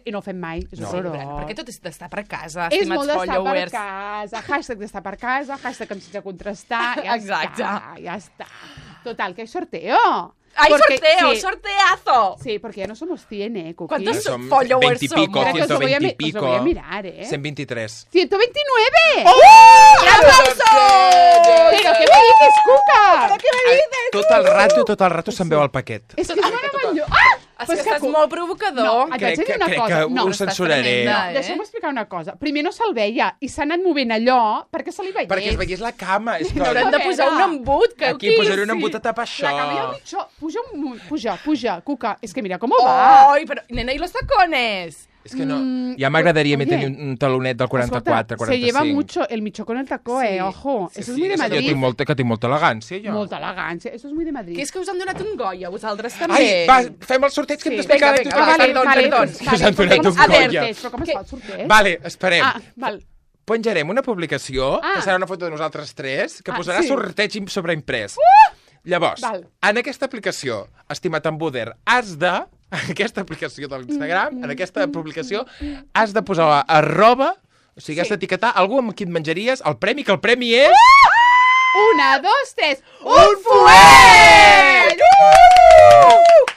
i no ho fem mai. És horrorós. Perquè tot és d'estar per casa, És estimats molt d'estar per followers. casa, hashtag d'estar per casa, hashtag em sense contrastar, ja Exacte. ja està. Total, que hay sorteo. ¡Hay Porque- sorteo! sí, ¡Sorteazo! Sí, porque ya no somos 100, Cookie. ¿Cuántos Ja som followers 20 y pico, somos? Espera, que os lo voy a 120 y mi- os lo pico. voy a mirar, ¿eh? 123. ¡129! ¡Un aplauso! ¿Pero qué me dices, Cuca? Què me dices? Tot el rato se'n veu el paquet. És que és meravellós. Ah! És Pues que estàs Cu- molt provocador. No, et vaig Crec dir una que cosa. ho No, censuraré. tremenda, Deixa'm explicar una cosa. Primer no se'l veia i s'ha anat movent allò perquè se li veiés. Perquè es veiés la cama. És que... N'haurem de posar un embut, que Aquí posaré un embut a tapar això. La cama i el mitjó. Puja, Cuca. És que mira com va. Ai, però, nena, i los tacones? És que no... Ja m'agradaria oye. tenir un talonet del 44, 45. Se lleva mucho el micho con el taco, Sí. ojo. Eso es muy de és que Madrid. jo tinc molta elegància, jo. Molta elegància. Eso es muy de Madrid. Que és que us han donat un Goya, vosaltres també. Ai, va, fem el sorteig que hem d'explicar Vinga, tothom. perdó. Us han donat un Goya. Però com es fa el sorteig? Vale, esperem. Ah, val. Penjarem una publicació, Ah. que serà una foto de nosaltres tres, que Ah, posarà sí. sorteig sobreimprès. Llavors, Val. en aquesta aplicació, estimat embuder, has de... En aquesta aplicació de l'Instagram, en aquesta publicació, has de posar arroba, o sigui, has d'etiquetar algú amb qui et menjaries el premi, que el premi és... 1, 2, 3. ¡Un fuet!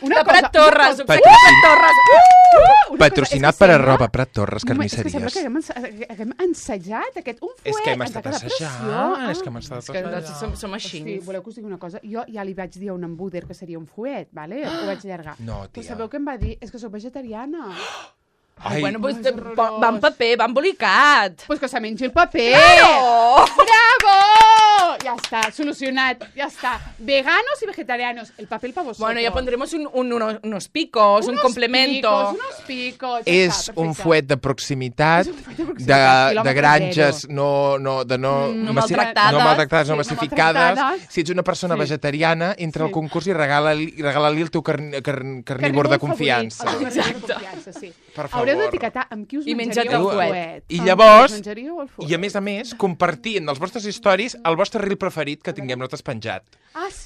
De Prat Torres, Patrocin- Prat Torres. Patrocinat per arroba Prat Torres, És que sembla carnisseries. que haguem ensajat aquest un fuet. És que hem ens ha estat quedat assajant, preciós. és que hem estat Que assajant. som així. Sí, voleu que us digui una cosa? Jo ja li vaig dir a un embuder que seria un fuet, vale? Ho vaig allargar. No, Però tia. sabeu què em va dir? És que sóc vegetariana. Ai, Bueno, pues, és horrorós. va en paper, va embolicat. Pues que se mengi el paper. Oh! ¡Bravo! Ya está, solucionat, ya está. Veganos y vegetarianos, el papel para vosotros. Bueno, ya pondremos unos picos, un complemento. Unos picos... És un fuet de proximitat, de granges no maltractades, no massificades. Si ets una persona vegetariana, entra al concurs i regala-li el teu carnívor de confiança. Exacte. Haureu d'etiquetar amb qui us menjaríeu el fuet. I llavors, i a més, compartir en els vostres stories el vostre reel preferit que tinguem nosaltres penjat.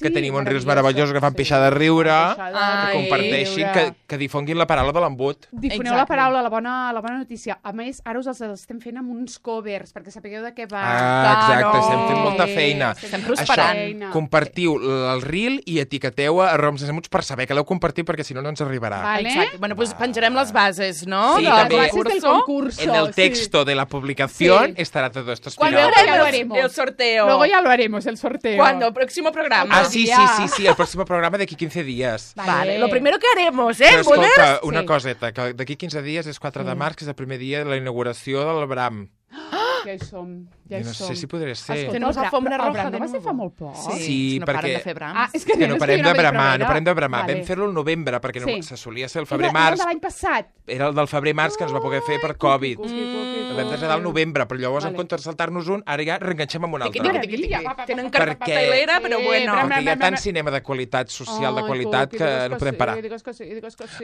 Que tenim uns reels meravellosos que fan pixar de riure, que comparteixin, que difonguin la paraula de l'embut. Difoneu la paraula, la bona notícia. A més, ara us els estem fent amb uns covers, perquè sapigueu de què va. Exacte, estem fent molta feina. Estem prosperant. Compartiu el reel i etiqueteu a @romsesemuts per saber que l'heu compartit, perquè si no, no ens arribarà. Exacte. Bueno, doncs penjarem les bases, no? Sí, també. Del concurso. En el texto de la publicación estará todo esto explicado. Cuando haremos el sorteo. Luego ya lo haremos, el sorteo. ¿Cuándo? ¿Próximo programa? Ah, sí, el próximo programa de aquí 15 días. Vale, lo primero que haremos, Però escolta, una coseta, que d'aquí 15 dies és 4 de març, que és el primer dia de la inauguració del Bram. Ja hi som. No sé si podré ser. Tenemos alfombra roja de nuevo. Fa molt poc. Sí, no perquè... paren de fer brams. És que no parem de bramar, Vale. Vam fer-lo al novembre, perquè se solia ser el Era febrer-març. de l'any passat. Era el del febrer-març que ens va poder fer per Covid. El vam traslladar al novembre, però llavors, en comptes de saltar-nos un, ara ja reenganxem amb un altre. Tenen carpetailera, però bueno. Perquè hi ha tant cinema de qualitat, social de qualitat, que no podem parar.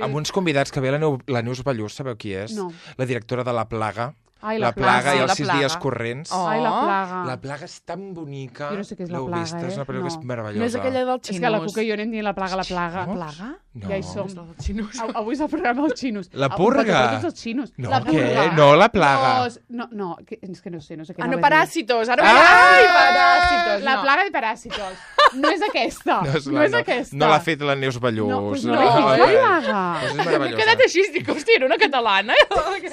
Amb uns convidats que ve la Neus Ballús, sabeu qui és? La directora de La Plaga. La Plaga i els 6 dies corrents. Ai, La Plaga. La Plaga és tan bonica. Jo no sé què és La Plaga, És una pel·lícula que és meravellosa. No és aquella del Xinus. És que la Cuca i jo anem dient La Plaga. Plaga? No. Ja hi som. Avui és el programa dels xinos. La purga. Tots els xinos. No, què? No, La Plaga. No, és que no sé què. No, Paràsitos. Ai, Paràsitos. La Plaga de Paràsitos. No és aquesta. No és aquesta. No l'ha fet la Neus Ballús. No, és La Plaga. És meravellosa. M'he quedat així, dic, hòstia, era una catalana. Aquí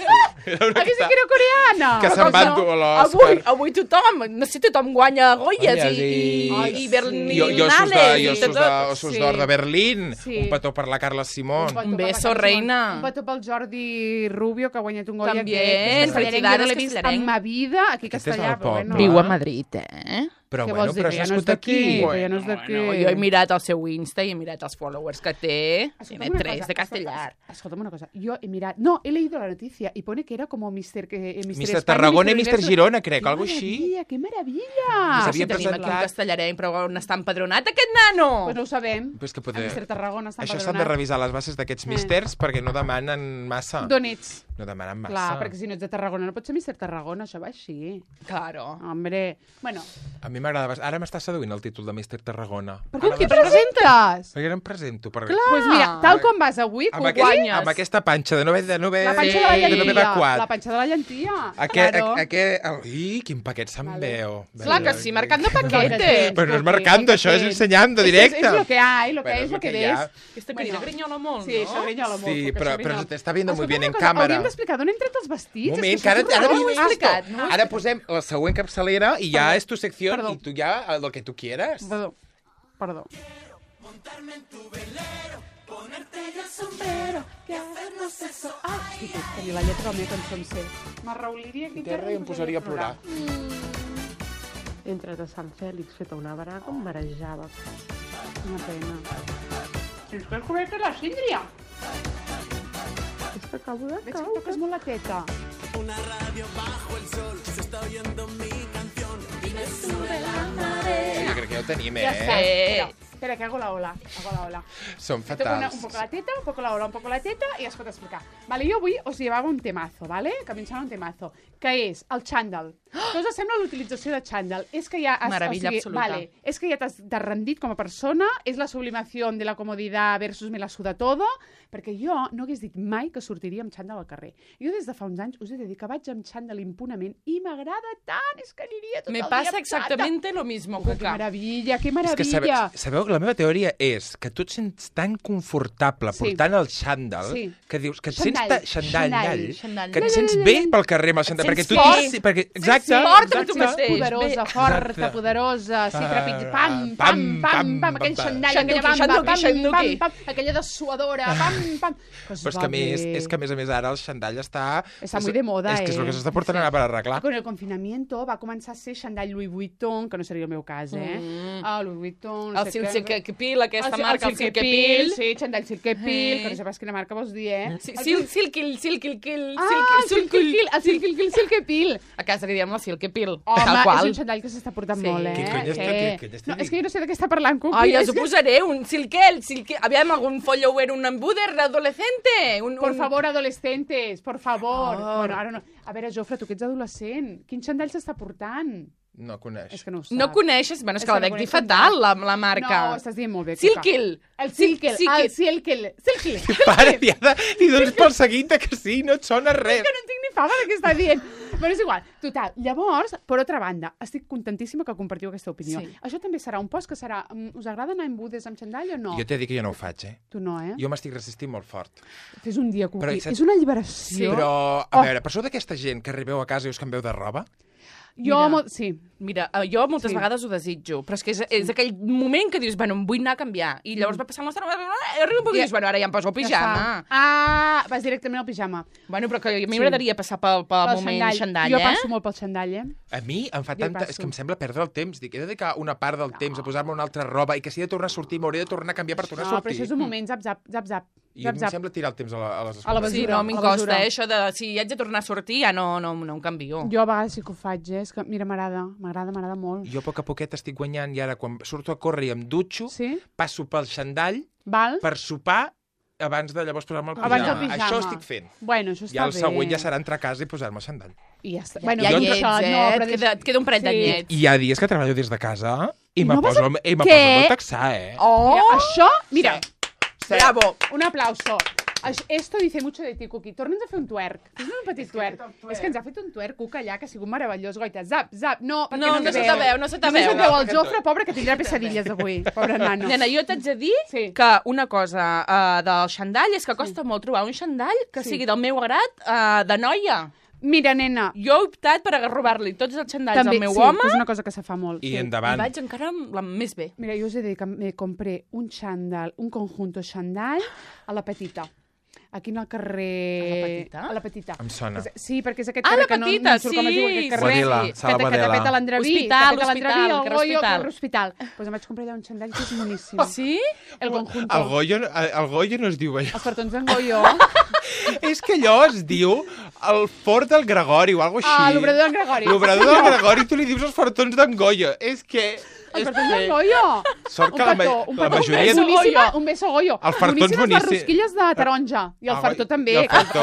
sí que era coreana. Que se'n va endur l'Òscar. Avui tothom, no sé, tothom guanya Goyes i Berlinales. I Ossos d'Or de Berlín. Un petó per la Carla Simón. Un beso, reina. Un petó pel Jordi Rubio, que ha guanyat un Goya. També, felicidades, no l'he vist en ma vida aquí a Castellà. Viu a Madrid, Però què bueno, vols dir? però Que ja has no és nascut aquí. Que ja no és d'aquí. Jo he mirat el seu Insta i he mirat els followers que té. Tiene Escolta'm una 3 cosa, de Castellar. Escolta'm una cosa. Yo he mirado... No, he leído la noticia y pone que era como Mr. Tarragona i Mr. Girona, crec, algo així. ¡Qué maravilla! S'havia Tenim aquí un presentat... castellarenc, però on està empadronat aquest nano? Pues no ho sabem. Pues que poder... Mr. Tarragona està Això empadronat. s'han de revisar les bases d'aquests místers perquè no demanen massa. D'on ets? No demanen massa. Clar, perquè si no ets de Tarragona no pots ser Mr. Tarragona, això va així. Claro. Hombre, bueno. A mi m'agrada... Ara m'està seduint el títol de Mr. Tarragona. Per què et presentes? Perquè ara em presento. Clar. Pues mira, tal com vas avui, que ho guanyes. Amb aquesta panxa de no haver la panxa de la llantilla. evacuat. La panxa de la llantilla. Ui, quin paquet se'n veu. Clar que sí, marcando paquetes. Però no és marcando, això és ensenyando directe. És lo que hay, lo que es, lo que ves. Aquesta querida grinyola molt, sí, això grinyola molt. Sí, però te està viendo muy bien en càmera. Hauríem d'explicar d'on han tret els vestits. Moment, que ara ho he explicat. Ara posem la següent capçalera i ja és tu secció i tu ja el que tu quieras. Perdó. Montarme en tu velero, ponerte ya el sombrero, que hacernos eso. Ai, tenia la lletra de la meva cançó en ser. M'arrauliria aquí terra i em posaria a plorar. He entrat a Sant Fèlix, feta una braga, em marejava. Una pena. Si ens has cobert la síndria. És que acabo de Veig que toques molt la teta. Una radio bajo el sol, se está oyendo mi canción. Y me sube la marea. Jo crec que ja ho tenim, Ja està. Espera, que hago la ola. Som Toco fatals. un poco la teta, un poco la ola, un poco la teta i es pot explicar. Vale, jo avui us llevava un temazo, ¿vale? Que m'ensenya un temazo, que és el xandall. Què us sembla l'utilització de xandall? És que ja... Maravilla absoluta. Vale, és que ja t'has rendit com a persona, és la sublimació de la comoditat versus me la suda todo, perquè jo no hagués dit mai que sortiria amb xandall al carrer. Jo des de fa uns anys us he de dir que vaig amb xandall impunament i m'agrada tant, és que aniria tot el dia. Me pasa exactamente lo mismo, Cuca. Que maravilla, que maravilla. És que sabeu, la meva teoria és que tu et sents tan confortable portant el xandall que dius que et sents que et sents bé pel carrer amb el xandall, perquè tu exacte, poderosa, forta, poderosa, sí, trepig, pam, aquell xandall, aquella dessuadora, pam. Però és que a més ara el xandall està muy de moda, és que és el que s'està portant ara per arreglar. Con el confinamiento va començar a ser xandall Louis Vuitton, que no seria el meu cas, Louis Vuitton, el Silkepil, aquesta marca, el Silkepil. Sí, xandall Silkepil, que no sé pas quina marca vols dir, Silkil. El Silkepil. A casa li diem la Silkepil. Home, és un xandall que s'està portant molt, Què cony No, és que jo no sé de què està parlant, Cuqui. Ai, ja s'ho posaré, un Silkel. Aviam, algun follower, un embuder adolescente. Por favor, adolescentes, por favor. Bueno, ara no. A veure, Jofre, tu que ets adolescent, quin xandall s'està portant? No coneix. És que no ho sap. No coneixes? Bueno, és que la dec dir fatal, la marca. No, estàs dient molt bé. Silkil. El Silkil. Pare, li dones pel seguit que sí, no et sona res. És que no entenc ni fava de què està dient. Bueno, és igual. Total, llavors, per altra banda, estic contentíssima que compartiu aquesta opinió. Sí. Això també serà un post que serà... Us agrada anar en budes amb xandall o no? Jo t'he dit que jo no ho faig, Tu no, Jo m'estic resistint molt fort. Fes un dia, Cuqui. Però, És una alliberació. Però, a veure, per sou d'aquesta gent que arribeu a casa i us canvieu de roba? Sí. Mira, jo moltes vegades ho desitjo, però és que és aquell moment que dius, bueno, em vull anar a canviar, i llavors va passant l'estona, i arriba un poc i dius, bueno, ara ja em poso el pijama. Vas directament al pijama. Bueno, però que a mi m'agradaria passar pel moment xandall, Jo passo molt pel xandall, A mi em fa tanta... És que em sembla perdre el temps. Dic, he de dedicar una part del temps a posar-me una altra roba i que si he de tornar a sortir m'hauré de tornar a canviar per tornar a sortir. No, però això és un moment, zap. I a mi em sembla tirar el temps a les escoles. A la basura. Sí, no, m'incosta, això de... Si haig de tornar a sortir, ja no em canvio. Jo a vegades sí que ho faig, És que, mira, m'agrada molt. Jo a poc a poquet estic guanyant i ara quan surto a córrer i em dutxo, passo pel xandall per sopar abans de llavors posar-me el pijama. Això estic fent. Bueno, això està bé. I el següent ja serà entrar a casa i posar-me el xandall. I ja està. Bueno, ja llets, et queda un parell de llets. I hi ha dies que treballo des de casa i me poso el botaxar, Això, mira, bravo, un aplauso. Esto dice mucho de ti, Cuqui. Torna'ns a fer un twerk. Fes-me un petit twerk. És que ens ha fet un twerk, Cuca, allà, que ha sigut meravellós. Goita, zap. No, perquè no se te veu. No se te veu el Jofre, pobre, que tindrà pesadilles avui. Pobre nano. Nena, jo t'haig de dir que una cosa del xandall és que costa molt trobar un xandall que sigui del meu agrat de noia. Mira, nena. Jo he optat per robar-li tots els xandalls al meu home. És una cosa que se fa molt. I endavant. I vaig encara més bé. Mira, jo us he de dir que me compré un xandall, un conjunto xandall a la Petita. Aquí al carrer... A la Petita? Em sona. Sí, perquè és aquest carrer que no surt com es diu aquest carrer. Que també té l'Andreví. Hospital, el Goyo, l'Hospital. Doncs em vaig comprar allà un xandall que és moníssim. Sí? El conjunto. El Goyo no es diu allò. Els fartons d'en Goyo. És que allò es diu el fort del Gregori o alguna cosa així. L'obrador d'en Gregori. L'obrador del Gregori, tu li dius els fartons d'en Goyo. És que... El fartons d'en Goyo. Sort que la majoria... Un beso Goyo. Els fartons boníssims. Les rosquilles de taronja. I el fartó també.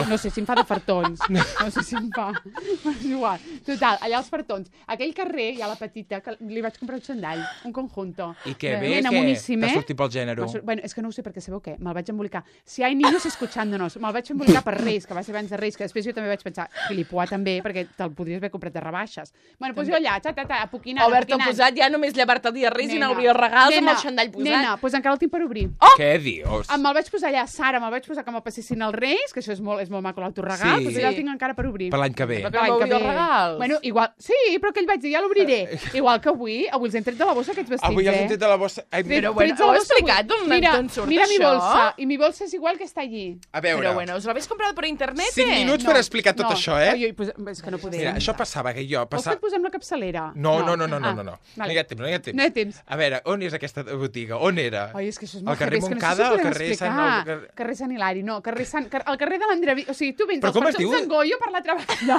No sé si em fa de fartons. No sé si em fa. És igual. Total, allà els fartons. Aquell carrer, hi ha la Petita, que li vaig comprar un xandall, un conjunto. I que bé, que t'ha sortit pel gènere. Bueno, és que no ho sé perquè sabeu què? Me'l vaig embolicar. Si hay niños escuchándonos, me'l vaig embolicar per Reis, que va ser abans de Reis, que després jo també vaig pensar, Filipuà també, perquè te'l podries haver comprat de rebaixes. Bueno, doncs jo allà, apoquinant. Haver-te posat ja només llevar-te el dia Reis i n'hauria regals amb el xandall posat. Nena, doncs encara el tinc per obrir. Què dius? Me'l vaig posar allà, Sara, me'l vaig posar que me'l passessin els Reis, que això és molt maco l'autoregal, doncs allà el tinc encara per obrir. Per l'any que ve. Per l'any que ve. Bueno, igual, sí, però que ell vaig dir, ja l'obriré. Igual que avui els hem tret de la bossa aquests vestits, Avui els hem tret de la bossa. Però bueno, ho he explicat d'on surt això? Mira mi bolsa, i mi bolsa és igual que està allí. A veure. Però bueno, us l'habéis comprat per internet, 5 minuts per explicar tot això, És que no podem. Mira, això passava que jo... Vols que et posem la capçalera? No. No hi ha temps. A veure, on és aquesta botiga? On era? Ai, és que això és molt al carrer Montcada, al carrer Sant... Carrer Sant Hilari, no. Al carrer de l'Andreví. O sigui, tu vens als fartons d'en Goyo per la treballa.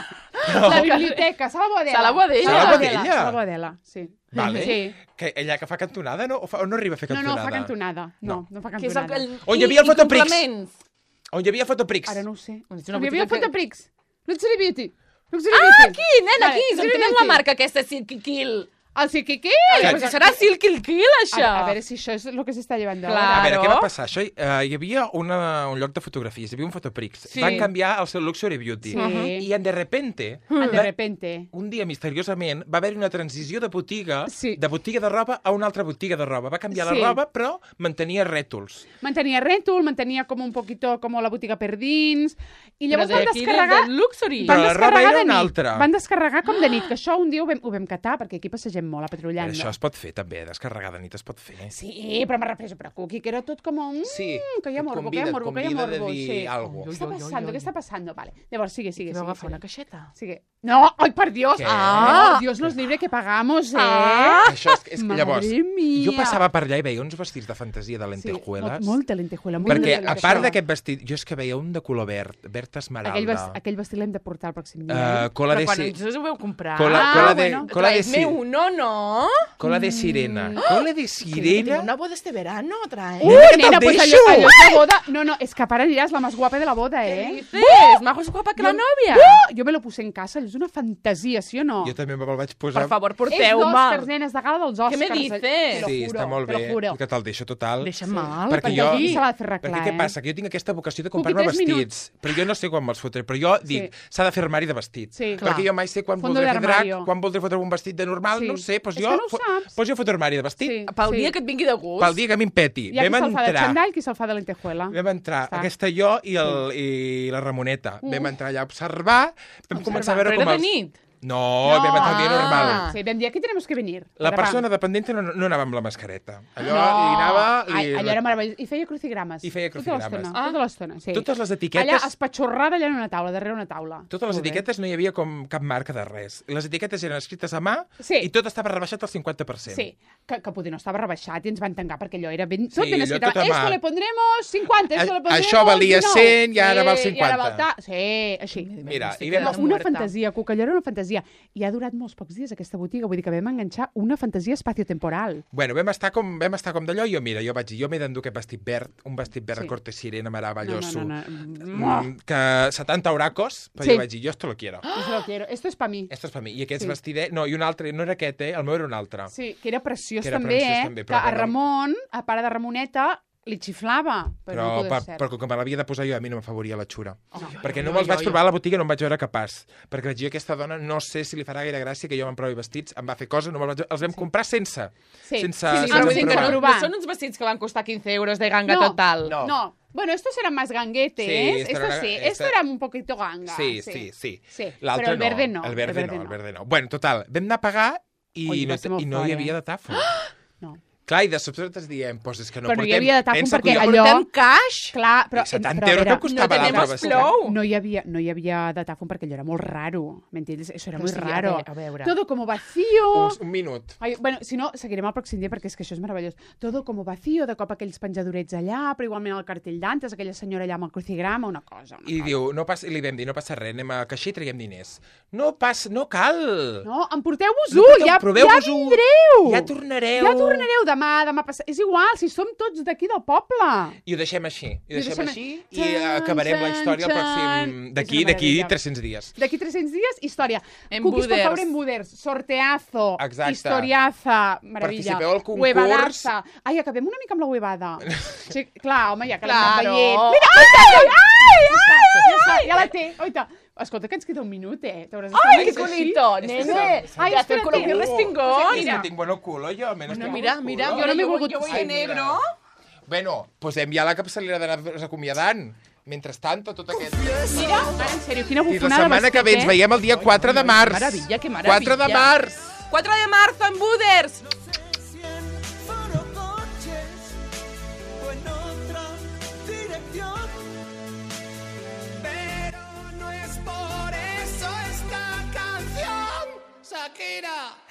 La biblioteca, Sala Boadella. Sala Boadella, sí. Vale. Sí. Que allà que fa cantonada, no? O no arriba a fer cantonada? No, fa cantonada. No fa cantonada. On hi havia el Fotoprix. On hi havia Fotoprix. Ara no ho sé. On hi havia Fotoprix. Luxury Beauty. Aquí, nena, aquí. On tenen la marca aquesta, Silkil. El Silkil? Pues serà Silkil, això. A veure si això és el que s'està llevant d'ara. A veure, què va passar? Això, hi havia un lloc de fotografies, hi havia un Fotoprix. Van canviar el seu Luxury Beauty. I de repente, un dia misteriosament, va haver-hi una transició de botiga de roba a una altra botiga de roba. Va canviar la roba, però mantenia rètols. Mantenia com un poquito com la botiga per dins. I llavors van descarregar... Però la roba era una altra. Van descarregar com de nit, que això un dia ho vam catar, perquè aquí passegem molt a patrullant. Això es pot fer, també, descarregar de nit es pot fer. Sí, però me represo per aquí, que era tot com un... que hi ha morbo, que hi ha morbo. Convida de dir alguna cosa. Què està passant? Vale. Llavors, sigue. Vau agafar una caixeta? Sigue. No, ay, por Dios. Què? Dios nos libre que pagamos, Això és que Madre llavors, mía. jo passava per allà i veia uns vestits de fantasia de lentejueles. Molta lentejuela. Perquè, a part d'aquest vestit, jo és que veia un de color verd esmeralda. Aquell vestit l'hem de portar el pròxim dia. Cola Però de quan ens ho veu comprar... Traedme uno, ¿no? Cola de sirena. Cola de sirena? Una boda este verano, trae. Nena, pues allò de boda... No, es que para dirás la más guapa de la boda, ¿Qué dices? Más guapa que la novia. Jo me lo puse en casa, és una fantasia, sí o no? Jo també me'l vaig posar... Per favor, És porteu-me. d'Oscars, nenes, de gala dels Oscars. Què me dices? Sí, està molt bé, que te'l deixo total. Deixa'm mal. Perquè jo... aquí se l'ha de fer arreglar, Perquè què passa? Que jo tinc aquesta vocació de comprar-me 3 vestits, però jo no sé quan me'ls fotré, però jo dic, s'ha de fer armari de vestits. Sí, perquè jo mai sé quan Fondo voldré fer drac, d'armario. quan voldré fotre un vestit de normal, no ho sé, doncs És que no ho saps. jo foto armari de vestit. Sí. Pel dia que et vingui de gust. Pel dia que m'impeti. Hi ha qui se'l fa de xandall, qui se'l fa de lentejuela. Vam entrar, aquesta jo i la Ramoneta. Vam entrar allà a observar, vam començar a veure com Però era els... de nit. No, vam entrar el dia normal. Sí, vam dir, aquí tenemos que venir. La persona dependente no anava amb la mascareta. Allò No. li anava... Allò era meravellós. I feia crucigrames. I feia crucigrames. Tota l'estona, sí. Totes les etiquetes... Allà, espatxorrada allà en una taula, darrere una taula. Totes les etiquetes no hi havia com cap marca de res. Les etiquetes eren escrites a mà i tot estava rebaixat al 50%. Sí, que poder no estava rebaixat i ens van tancar perquè allò era ben... Tot Sí, ben allò escrit. tot a mà. Esto le pondremos 50, esto le pondremos Això valia 100 i ara val 50. I ara val sí, així. Mira, i No, vam... una fantasia, Cuca, allò era una fantasia. I ha durat molts pocs dies aquesta botiga, vull dir que vam enganxar una fantasia espaciotemporal. Bueno, vam estar com d'allò i jo vaig dir, jo m'he d'endur aquest vestit verd, un vestit verd de corte sirena meravelloso, que 70 oracos, però jo vaig dir, jo esto lo quiero. Yo lo quiero, esto es para mí. Esto es para mí. I aquest vestidet, no, i un altre, no era aquest, el meu era un altre. Sí, que era preciós Que era també, preciós també, que però a bueno. Ramon, a pare de Ramoneta, li xiflava, però no podia ser. Però com que me l'havia de posar jo, a mi no m'afavoria la xura. Perquè no me'ls vaig provar a la botiga, no em vaig veure capaç. Perquè vaig dir, aquesta dona no sé si li farà gaire gràcia que jo me'n provi vestits, em va fer cosa, no els vam comprar sense. Sí. Sense Però vull dir que provar. no són uns vestits que van costar 15 euros de ganga total. No. Bueno, estos eran más ganguetes. Sí, Esto era un poquito ganga. Sí. Però el verde no. El verde no. Bueno, total, vam anar a pagar i no hi havia datàfon. No. Clar, i de sobte ens diem, doncs és que no però portem... no hi havia datàfon perquè jo allò... Portem cash? Clar, però... 70 euros no costava l'altre vestit. No hi havia datàfon perquè allò era molt raro. ¿M'entiendes? Eso era muy raro. A veure. Todo como vacío. Un minut. Ai, bueno, si no, seguirem el pròxim dia perquè és que això és meravellós. Todo como vacío, de cop aquells penjadorets allà, però igualment el cartell d'antes, aquella senyora allà amb el crucigrama, una cosa. I diu, li vam dir, no passa res, anem a caixer i traiem diners. No cal. No, emporteu-vos-ho, ja vindreu. Ja tornareu. Ja tornareu demà passat. És igual, si som tots d'aquí del poble. I ho deixem així. I acabarem la història el pròxim... D'aquí 300 dies. D'aquí 300 dies, història. En Cookies, por Buders. favor, en Buders. Sorteazo. Exacte. Historiaza. Meravella. Participeu al concurs. Huevadaza. Ai, acabem una mica amb la huevada. Sí, clar, home, ja que l'hem anat Claro. veient. Mira, ja la té. Oita. Escolta, que ens queda un minut, T'hauràs d'estar Ai, més que així. bonito, nene. Ai, Ya te espérate. coloqué el respingón. Sí, no tinc bon culo, jo. Mira, Jo no m'he volgut... Yo voy de negro. Bueno, posem ja la capçalera d'anar acomiadant. Mentrestant, tot aquest... Mira, en sèrio, quina I la bufonada setmana que ve ens veiem el dia 4 de març. Maravilla, que maravilla. 4 de març. 4 de marzo en Buders. Fueron coches o en otra dirección. Pero no es por eso esta canción, Shakira.